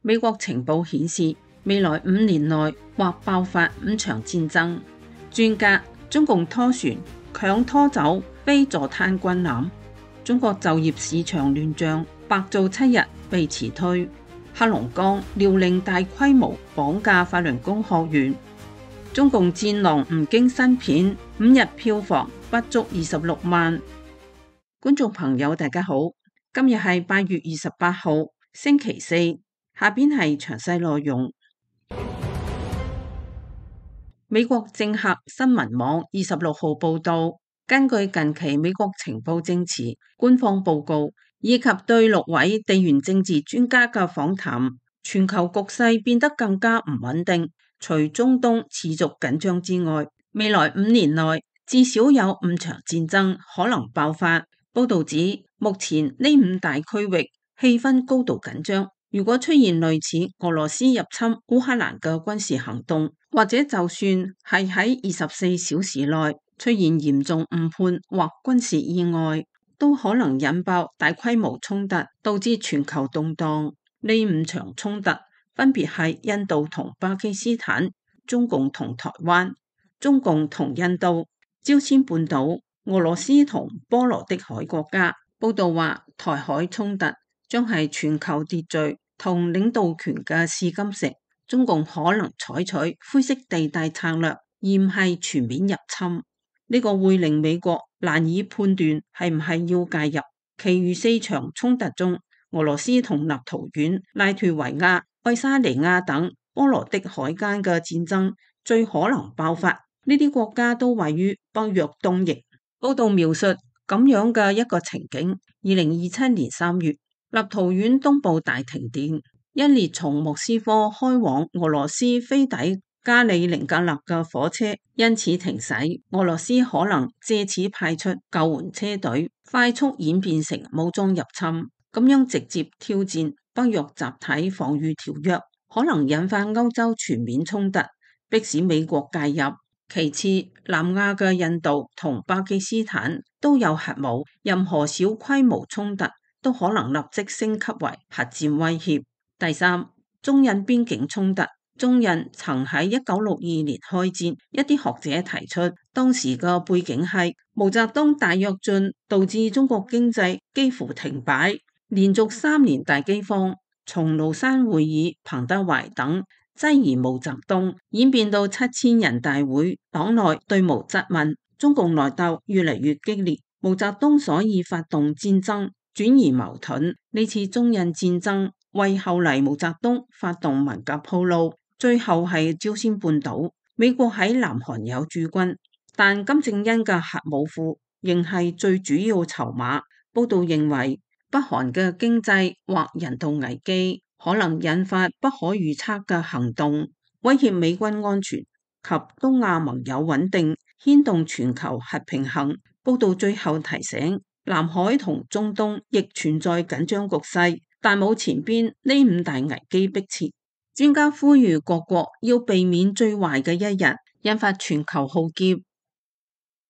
美國情報顯示，未來5年內或爆發5場戰爭。專家：中共拖船強拖走非坐灘軍艦。中國就業市場亂象，白做7日被辭退。黑龍江遼寧大規模綁架法輪功學員。中共戰狼吳京新片5日票房不足26萬。觀眾朋友大家好，今日係8月28號星期四，下邊係詳細內容。美國政客新聞網26號報道，根據近期美國情報證詞、官方報告以及對6位地緣政治專家嘅訪談，全球局勢變得更加唔穩定。除中東持續緊張之外，未來5年內至少有5場戰爭可能爆發。報道指，目前呢5大區域氣氛高度緊張。如果出現類似俄羅斯入侵烏克蘭嘅軍事行動，或者就算係喺24小時內出現嚴重誤判或軍事意外，都可能引爆大規模衝突，導致全球動盪。呢5場衝突分別係印度同巴基斯坦、中共同台灣、中共同印度、朝鮮半島、俄羅斯同波羅的海國家。報道話，台海衝突將係全球秩序同領導權嘅試金石。中共可能採取灰色地帶策略，而唔係全面入侵。呢個會令美國難以判斷係唔係要介入。其餘4場衝突中，俄羅斯同立陶宛、拉脫維亞、愛沙尼亞等波羅的海間嘅戰爭最可能爆發。呢啲國家都位於北約東翼。報道描述咁樣嘅一個情景：2027年3月，立陶宛東部大停電。一列從莫斯科開往俄羅斯飛抵加里寧格勒嘅火車因此停駛，俄羅斯可能借此派出救援車隊，快速演變成武裝入侵，咁樣直接挑戰北約集體防禦條約，可能引發歐洲全面衝突，迫使美國介入。其次，南亞嘅印度同巴基斯坦都有核武，任何小規模衝突都可能立即升級為核戰威脅。第三，中印邊境衝突。中印曾喺1962年開戰，一啲學者提出，當時嘅背景係毛澤東大躍進導致中國經濟幾乎停擺，連續3年大饑荒，從廬山會議、彭德懷等質疑毛澤東，演變到7000人大會，黨內對毛質問，中共內鬥越嚟越激烈，毛澤東所以發動戰爭，轉移矛盾。呢次中印戰爭為後嚟毛澤東發動文革鋪路。最後係朝鮮半島，美國喺南韓有駐軍，但金正恩嘅核武庫仍係最主要籌碼。報道認為，北韓嘅經濟或人道危機可能引發不可預測嘅行動，威脅美軍安全及東亞盟友穩定，牽動全球核平衡。報道最後提醒，南海同中東亦存在緊張局勢，但冇前邊呢5大危機迫切。專家呼籲各國要避免最壞嘅一日，引發全球浩劫。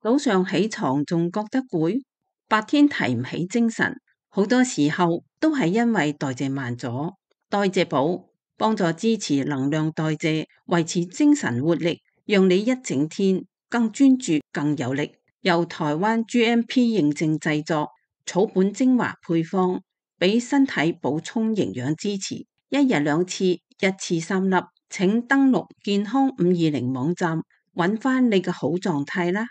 早上起床仲覺得攰，白天提唔起精神，好多時候都係因為代謝慢咗。代謝寶幫助支持能量代謝，維持精神活力，讓你一整天更專注、更有力。由台灣 GMP 認證製作，草本精華配方，俾身體補充營養支持，一日2次，1次3粒。請登錄健康520網站，揾翻你嘅好狀態啦。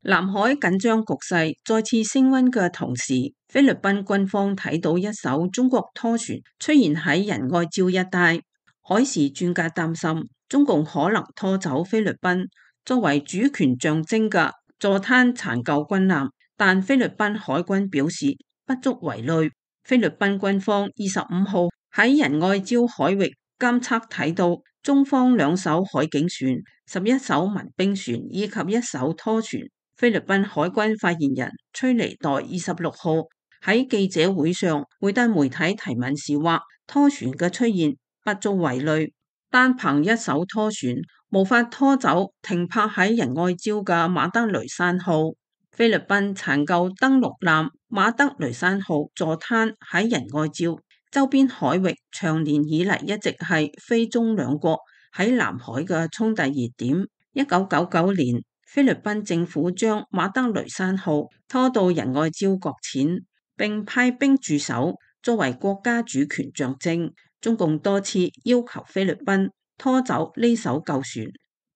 南海緊張局勢再次升溫嘅同時，菲律賓軍方睇到一艘中國拖船出現喺仁愛礁一帶。海事專家擔心，中共可能拖走菲律賓作為主權象徵嘅坐灘殘舊軍艦，但菲律賓海軍表示不足為慮。菲律賓軍方25號喺仁愛礁海域監測睇到中方2艘海警船、11艘民兵船以及1艘拖船。菲律賓海軍發言人崔尼代26號喺記者會上回答媒體提問時話，拖船嘅出現不足為慮，單憑1艘拖船無法拖走停泊喺仁愛礁嘅馬德雷山號。菲律賓殘舊登陸艦馬德雷山號坐灘喺仁愛礁周邊海域，長年以嚟一直係菲中兩國喺南海嘅衝突熱點。1999年，菲律賓政府將馬德雷山號拖到仁愛礁擱淺，並派兵駐守，作為國家主權象徵。中共多次要求菲律賓拖走呢艘舊船，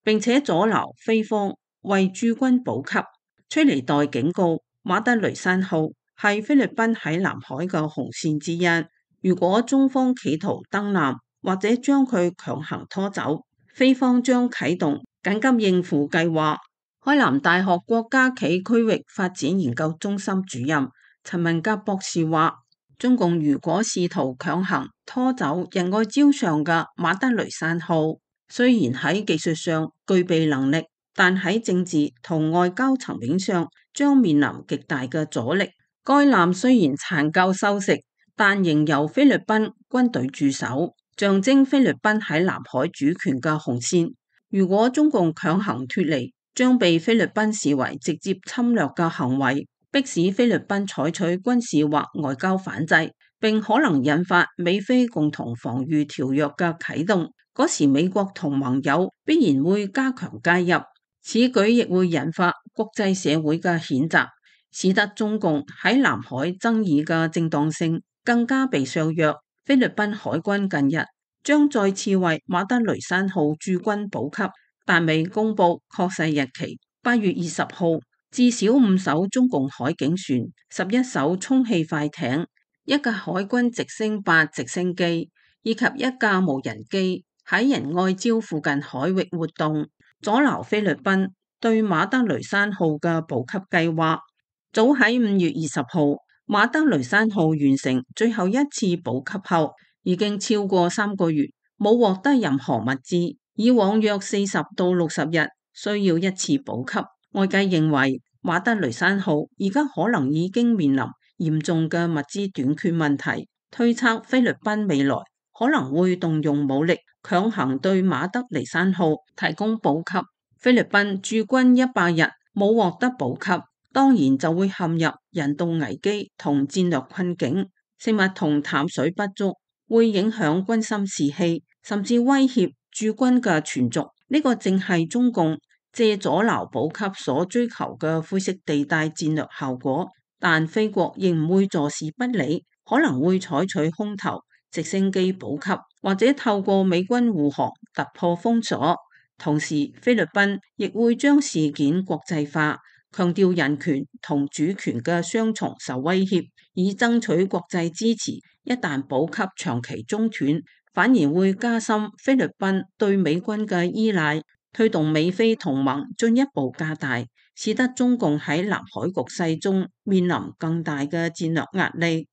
並且阻撓菲方為駐軍補給。崔尼代警告，馬德雷山號係菲律賓喺南海嘅紅線之一。如果中方企圖登艦或者將佢強行拖走，菲方將啟動緊急應付計劃。海南大學國家暨區域發展研究中心主任陳文甲博士話，中共如果試圖強行拖走仁愛礁上嘅馬德雷山號，雖然喺技術上具備能力，但喺政治同外交層面上將面臨極大嘅阻力。該艦雖然殘舊修飾，但仍由菲律賓軍隊駐守，象徵菲律賓喺南海主權嘅紅線。如果中共強行脫離，將被菲律賓視為直接侵略嘅行為，迫使菲律賓採取軍事或外交反制，並可能引發美菲共同防禦條約嘅啟動。嗰時美國同盟友必然會加強介入，此舉亦會引發國際社會嘅譴責，使得中共喺南海爭議嘅正當性更加被削弱。菲律賓海軍近日將再次為馬德雷山號駐軍補給，但未公布確實日期。8月20號，至少5艘中共海警船、11艘充氣快艇、一架海軍直升8直升機以及一架無人機喺仁愛礁附近海域活動，阻撓菲律賓對馬德雷山號嘅補給計劃。早喺5月20號，馬德雷山號完成最後一次補給後，已經超過3個月冇獲得任何物資。以往約40到60日需要一次補給。外界認為馬德雷山號而家可能已經面臨嚴重嘅物資短缺問題，推測菲律賓未來可能會動用武力強行對馬德雷山號提供補給。菲律賓駐軍100日冇獲得補給，當然就會陷入人道危機同戰略困境，食物同淡水不足會影響軍心士氣，甚至威脅駐軍嘅存續。呢個正係中共借阻撓補給所追求嘅灰色地帶戰略效果，但菲國亦唔會坐視不理，可能會採取空投直升機補給，或者透過美軍護航突破封鎖。同時，菲律賓亦會將事件國際化，強調人權同主權嘅雙重受威脅，以爭取國際支持。一旦補給長期中斷，反而會加深菲律賓對美軍嘅依賴，推動美菲同盟進一步加大，使得中共喺南海局勢中面臨更大嘅戰略壓力。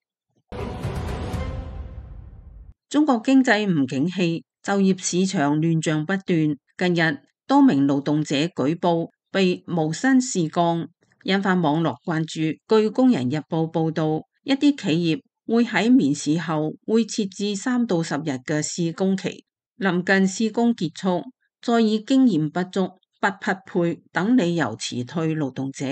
中國經濟唔景氣，就業市場亂象不斷。近日，多名勞動者舉報被無薪試幹，引發網絡關注。據《工人日報》報道，一啲企業會喺面試後會設置3到10日嘅試工期，臨近試工結束，再以經驗不足、不匹配等理由辭退勞動者，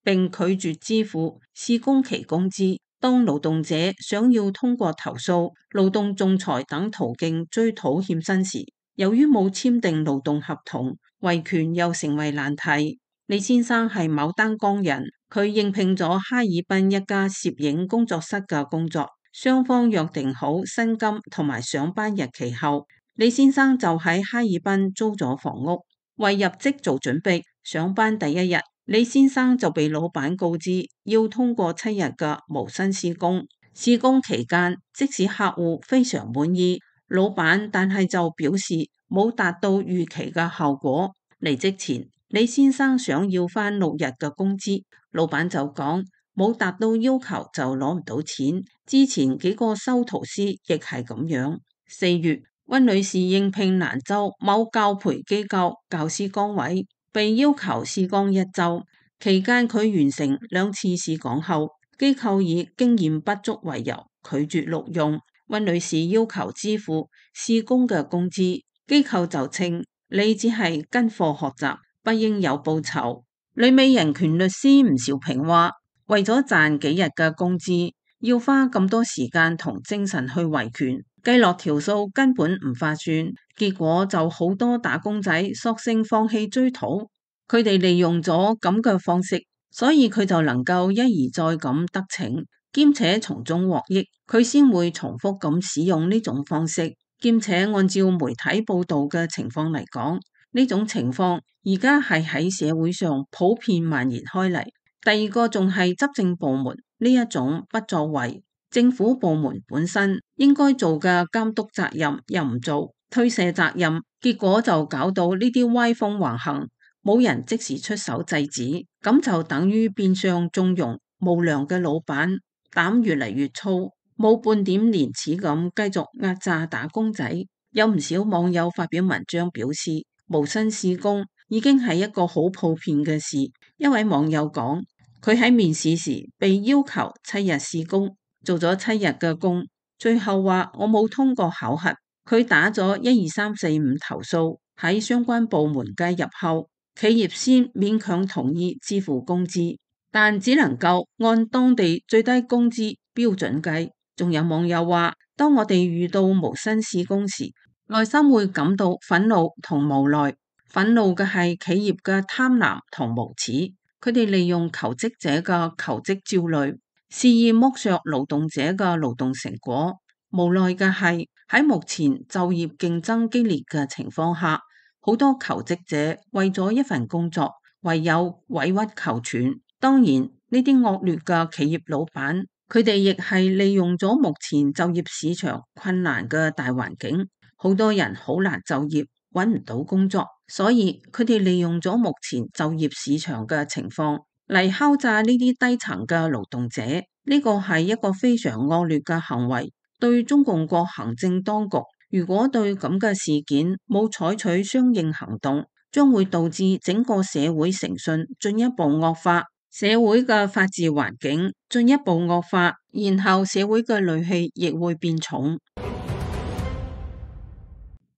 並拒絕支付試工期工資。當勞動者想要通過投訴、勞動仲裁等途徑追討欠薪時，由於冇簽訂勞動合同，維權又成為難題。李先生係牡丹江人，佢應聘咗哈爾濱一家攝影工作室嘅工作，雙方約定好薪金同埋上班日期後，李先生就喺哈爾濱租咗房屋，為入職做準備。上班第一日，李先生就被老闆告知要通過7日嘅無薪試工。試工期間，即使客戶非常滿意老闆，但係就表示冇達到預期嘅效果。離職前，李先生想要返6日嘅工資，老闆就講冇達到要求就攞唔到錢。之前幾個修圖師亦係咁樣。4月，溫女士應聘蘭州某教培機構教師崗位，被要求試崗1週，期間佢完成2次試講後，機構以經驗不足為由拒絕錄用。溫女士要求支付試工嘅工資，機構就稱你只係跟課學習，不應有報酬。旅美人權律師吳兆平話，為咗賺幾日嘅工資，要花咁多時間同精神去維權，計落條數根本唔划算，結果就好多打工仔索性放棄追討。佢哋利用咗咁嘅方式，所以佢就能夠一而再咁得逞，兼且從中獲益，佢先會重複咁使用呢種方式，兼且按照媒體報道嘅情況嚟講，呢種情況而家係喺社會上普遍蔓延開嚟。第二個仲係執政部門呢一種不作為，政府部門本身應該做嘅監督責任又唔做，推卸責任，結果就搞到呢啲歪風橫行。冇人即時出手制止，咁就等於變相縱容無良嘅老闆，膽越嚟越粗，冇半點廉恥咁繼續壓榨打工仔。有唔少網友發表文章表示，無薪試工已經係一個好普遍嘅事。一位網友講，佢喺面試時被要求7日試工，做咗7日嘅工，最後話我冇通過考核。佢打咗12345投訴，喺相關部門介入後，企業先勉強同意支付工資，但只能夠按當地最低工資標準計。仲有網友話，當我哋遇到無薪試工時，內心會感到憤怒同無奈。憤怒嘅係企業嘅貪婪同無恥，佢哋利用求職者嘅求職焦慮，肆意剝削勞動者嘅勞動成果。無奈嘅係喺目前就業競爭激烈嘅情況下，好多求職者為咗一份工作，唯有委屈求全。當然，呢啲惡劣嘅企業老闆，佢哋亦係利用咗目前就業市場困難嘅大環境，好多人好難就業，揾唔到工作，所以佢哋利用咗目前就業市場嘅情況嚟敲詐呢啲低層嘅勞動者。呢個係一個非常惡劣嘅行為，對中共國行政當局，如果對咁嘅事件冇採取相應行動，將會導致整個社會誠信進一步惡化，社會嘅法治環境進一步惡化，然後社會嘅戾氣亦會變重。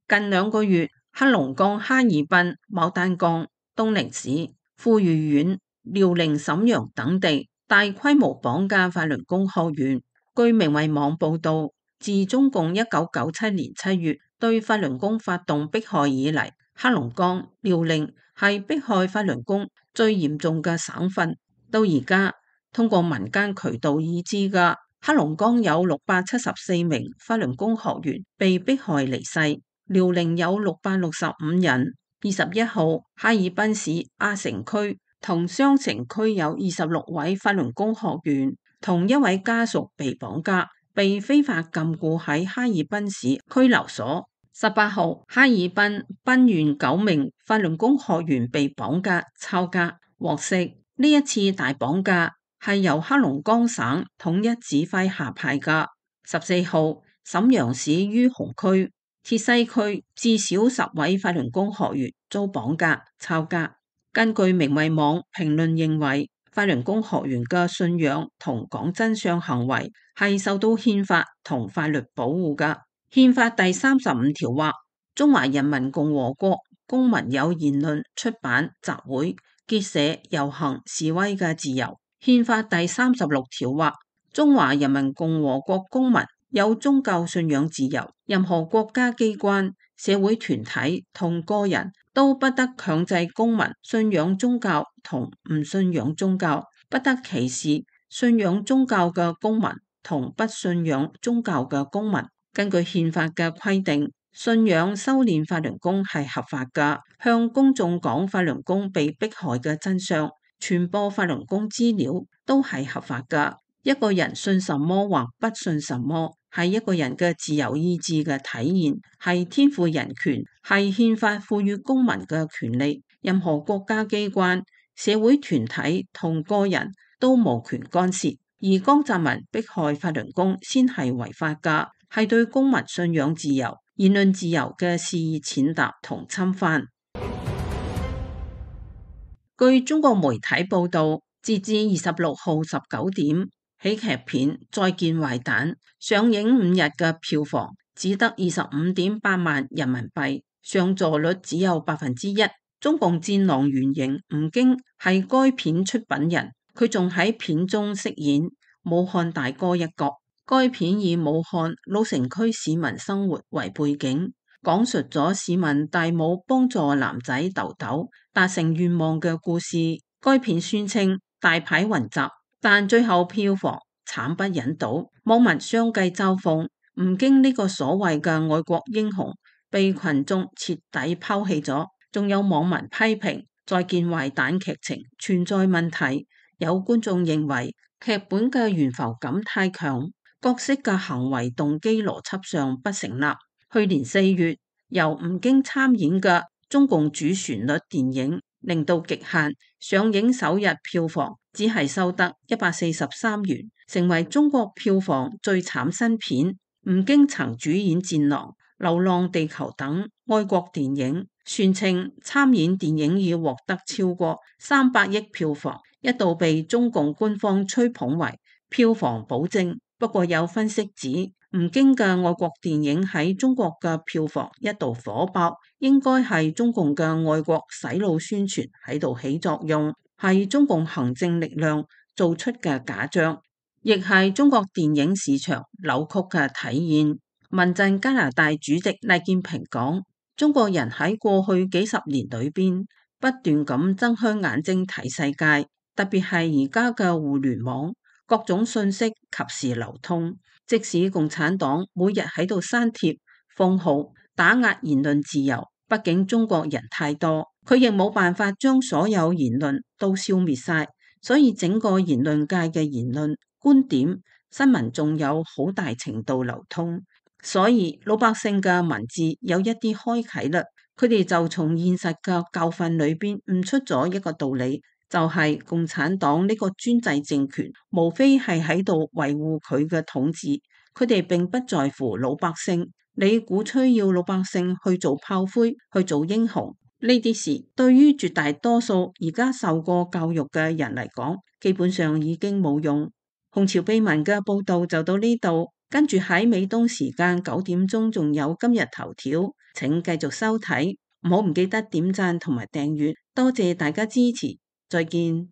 近2個月，黑龍江哈爾濱、牡丹江、東寧市、富裕縣、遼寧瀋陽等地大規模綁架法輪功學員。據明慧網報道，自中共1997年7月對法輪功發動迫害以嚟，黑龍江、遼寧係迫害法輪功最嚴重嘅省份。到而家，通過民間渠道已知嘅黑龍江有674名法輪功學員被迫害離世，遼寧有665人。21號，哈爾濱市阿城區同雙城區有26位法輪功學員同1位家屬被綁架，被非法禁錮喺哈爾濱市拘留所。18號，哈爾濱濱縣9名法輪功學員被綁架抄家。獲悉，呢一次大綁架係由黑龍江省統一指揮下派嘅。14號，瀋陽市于洪區、鐵西區至少10位法輪功學員遭綁架抄家。根據明慧網評論認為，法輪功學員嘅信仰同講真相行為係受到憲法同法律保護嘅。憲法第35條話，中華人民共和國公民有言論、出版、集會、結社、遊行、示威嘅自由。憲法第36條話，中華人民共和國公民有宗教信仰自由。任何國家機關、社會團體同個人都不得強制公民信仰宗教同唔信仰宗教，不得歧視信仰宗教嘅公民同不信仰宗教嘅公民。根據憲法嘅規定，信仰修煉法輪功係合法㗎，向公眾講法輪功被迫害嘅真相，傳播法輪功資料都係合法㗎。一個人信什麼或不信什麼，係一個人嘅自由意志嘅體現，係天賦人權，係憲法賦予公民嘅權利。任何國家機關、社會團體同個人都無權干涉。而江澤民迫害法輪功先係違法㗎，係對公民信仰自由、言論自由嘅肆意踐踏同侵犯。據中國媒體報道，截至26號19點，喜劇片《再見壞蛋》上映5日嘅票房只得25.8萬人民幣，上座率只有1%。中共戰狼原型吳京係該片出品人，佢仲喺片中飾演武漢大哥一角。該片以武漢老城區市民生活為背景，講述咗市民戴帽幫助男仔豆豆達成願望嘅故事。該片宣稱大牌雲集，但最後票房慘不忍睹。網民相繼嘲諷吳京呢個所謂嘅愛國英雄被群眾徹底拋棄咗。仲有網民批評再見壞蛋劇情存在問題，有觀眾認為劇本嘅懸浮感太強，角色嘅行為動機邏輯上不成立。去年4月由吳京參演嘅中共主旋律電影《零度極限》上映首日票房只係收得143元，成為中國票房最慘新片。吳京曾主演《戰狼》《流浪地球》等愛國電影，宣稱參演電影已獲得超過300億票房，一度被中共官方吹捧為票房保證。不過有分析指，吳京嘅愛國電影喺中國嘅票房一度火爆，應該係中共嘅愛國洗腦宣傳喺度起作用，係中共行政力量做出嘅假象，亦係中國電影市場扭曲嘅體現。民陣加拿大主席賴建平講：中國人喺過去幾十年裏邊不斷咁睜開眼睛睇世界，特別係而家嘅互聯網，各種信息及時流通。即使共產黨每日喺度刪帖、封號、打壓言論自由，畢竟中國人太多，佢亦冇辦法將所有言論都消滅晒。所以整個言論界嘅言論、觀點、新聞仲有好大程度流通。所以老百姓嘅文字有一啲開啟啦，佢哋就從現實嘅教訓裏邊悟出咗一個道理，就係共產黨呢個專制政權無非係喺度維護佢嘅統治，佢哋並不在乎老百姓。你鼓吹要老百姓去做炮灰、去做英雄，呢啲事對於絕大多數而家受過教育嘅人嚟講，基本上已經冇用。紅潮秘聞嘅報道就到呢度。跟住喺美東時間9點鐘仲有今日頭條，請繼續收睇，唔好唔記得點讚同埋訂閱，多謝大家支持，再見。